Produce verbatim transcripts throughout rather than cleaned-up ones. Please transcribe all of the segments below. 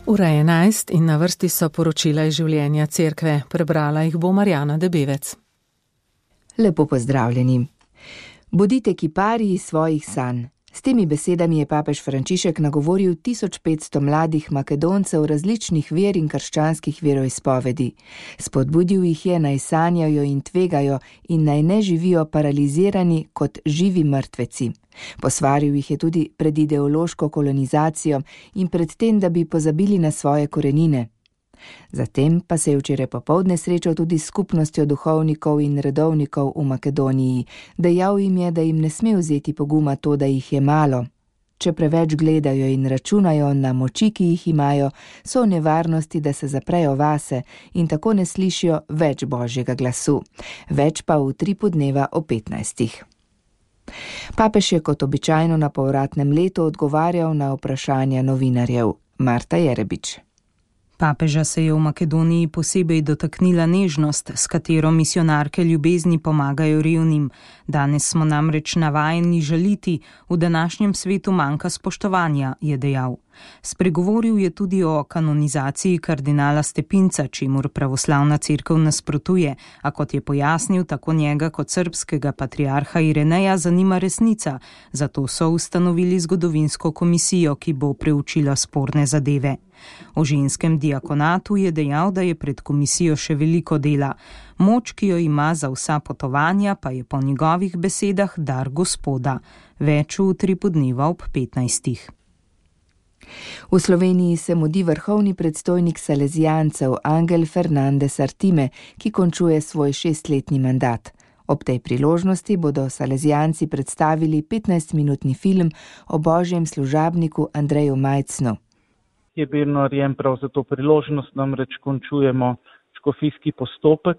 Ura je enajst in na vrsti so poročila iz življenja cerkve. Prebrala jih bo Marjana Debevec. Lepo pozdravljeni. Bodite kiparji svojih sanj. S temi besedami je papež Frančišek nagovoril tisoč petsto mladih Makedoncev različnih ver in krščanskih veroizpovedi. Spodbudil jih je, naj sanjajo in tvegajo in naj ne živijo paralizirani kot živi mrtveci. Posvaril jih je tudi pred ideološko kolonizacijo in pred tem, da bi pozabili na svoje korenine. Zatem pa se je včeraj popoldne srečal tudi s skupnostjo duhovnikov in redovnikov v Makedoniji. Dejal jim je, da jim ne sme vzeti poguma to, da jih je malo. Če preveč gledajo in računajo na moči, ki jih imajo, so v nevarnosti, da se zaprejo vase in tako ne slišijo več Božjega glasu. Več pa v tripu dneva o petnajstih. Papež je kot običajno na povratnem letu odgovarjal na vprašanja novinarjev. Marta Jerebič. Papeža se je v Makedoniji posebej dotaknila nežnost, s katero misionarke ljubezni pomagajo revnim. Danes smo namreč navajeni žaliti, v današnjem svetu manjka spoštovanja, je dejal. Spregovoril je tudi o kanonizaciji kardinala Stepinca, čemur pravoslavna cerkev nasprotuje, a kot je pojasnil, tako njega kot srbskega patriarha Ireneja zanima resnica, zato so ustanovili zgodovinsko komisijo, ki bo preučila sporne zadeve. O ženskem diakonatu je dejal, da je pred komisijo še veliko dela. Moč, ki jo ima za vsa potovanja, pa je po njegovih besedah dar Gospoda. Več v tripu dneva ob petnajstih. V Sloveniji se mudi vrhovni predstojnik salezijancev Angel Fernandez Artime, ki končuje svoj šestletni mandat. Ob tej priložnosti bodo salezijanci predstavili petnajstminutni film o božjem služabniku Andreju Majcnu. Je bil narejen prav za to priložnost, namreč končujemo škofijski postopek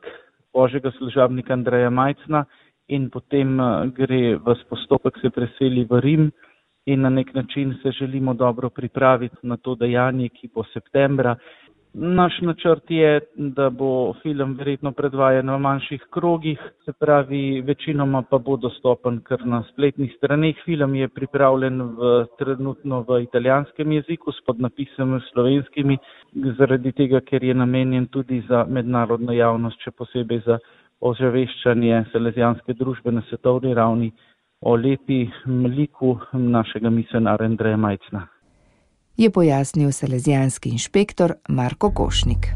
božjega služabnika Andreja Majcna in potem gre v postopek, se preseli v Rim in na nek način se želimo dobro pripraviti na to dejanje, ki bo septembra. Naš načrt je, da bo film verjetno predvajan v manjših krogih, se pravi, večinoma pa bo dostopen kar na spletnih straneh. Film je pripravljen v, trenutno v italijanskem jeziku s podnapisami slovenskimi, zaradi tega, ker je namenjen tudi za mednarodno javnost, še posebej za ozaveščanje salezijanske družbe na svetovni ravni o lepi liku našega misionarja Andreja Majcna. Je pojasnil salezijanski inšpektor Marko Košnik.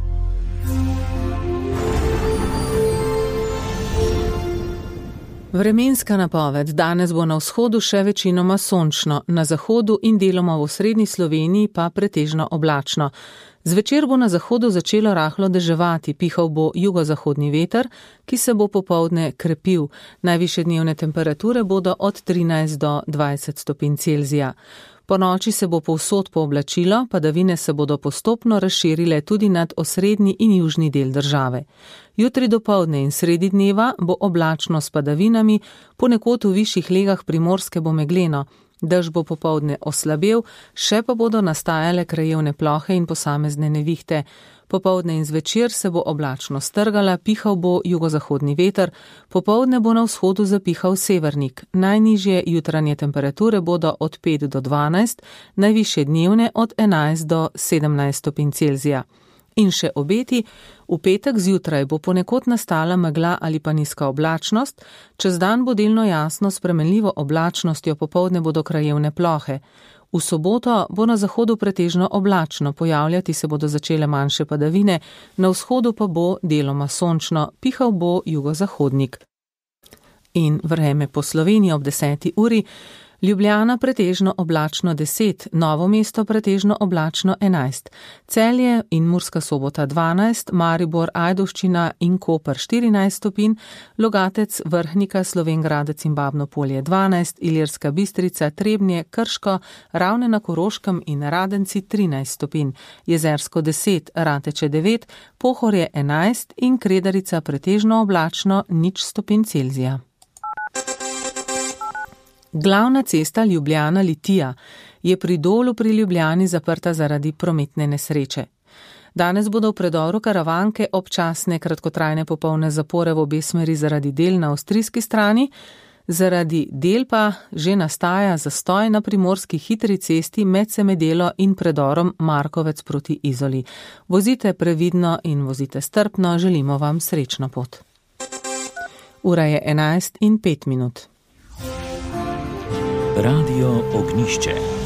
Vremenska napoved. Danes bo na vzhodu še večinoma sončno, na zahodu in deloma v osrednji Sloveniji pa pretežno oblačno. Zvečer bo na zahodu začelo rahlo deževati, pihal bo jugozahodni veter, ki se bo popoldne krepil. Najvišje dnevne temperature bodo od trinajst do dvajset stopinj Celzija. Po noči se bo povsod pooblačilo, padavine se bodo postopno razširile tudi nad osrednji in južni del države. Jutri dopoldne in sredi dneva bo oblačno s padavinami, ponekod v višjih legah Primorske bo megleno. Dež bo popoldne oslabel, še pa bodo nastajale krajevne plohe in posamezne nevihte. Popoldne in zvečer se bo oblačno strgala, pihal bo jugozahodni veter, popoldne bo na vzhodu zapihal severnik. Najnižje jutranje temperature bodo od pet do dvanajst, najvišje dnevne od enajst do sedemnajst stopinj Celzija. In še obeti, v petek zjutraj bo ponekod nastala megla ali pa nizka oblačnost, čez dan bo delno jasno s spremenljivo oblačnostjo, popoldne bodo krajevne plohe. V soboto bo na zahodu pretežno oblačno, pojavljati se bodo začele manjše padavine, na vzhodu pa bo deloma sončno, pihal bo jugozahodnik. In vreme po Sloveniji ob deseti uri. Ljubljana pretežno oblačno deset, Novo mesto pretežno oblačno enajst, Celje in Murska Sobota dvanajst, Maribor, Ajdovščina in Koper štirinajst stopinj, Logatec, Vrhnika, Slovenj Gradec in Babno Polje dvanajst, Ilirska Bistrica, Trebnje, Krško, Ravne na Koroškem in Radenci trinajst stopinj, Jezersko deset, Rateče devet, Pohorje enajst in Kredarica pretežno oblačno nič stopinj Celzija. Glavna cesta Ljubljana-Litija je pri Dolu pri Ljubljani zaprta zaradi prometne nesreče. Danes bodo v predoru Karavanke občasne kratkotrajne popolne zapore v obe smeri zaradi del na avstrijski strani, Zaradi del pa že nastaja zastoj na primorski hitri cesti med Semedelo in predorom Markovec proti Izoli. Vozite previdno in vozite strpno, želimo vam srečno pot. Ura je enajst in pet minut. Radio Ognjišče.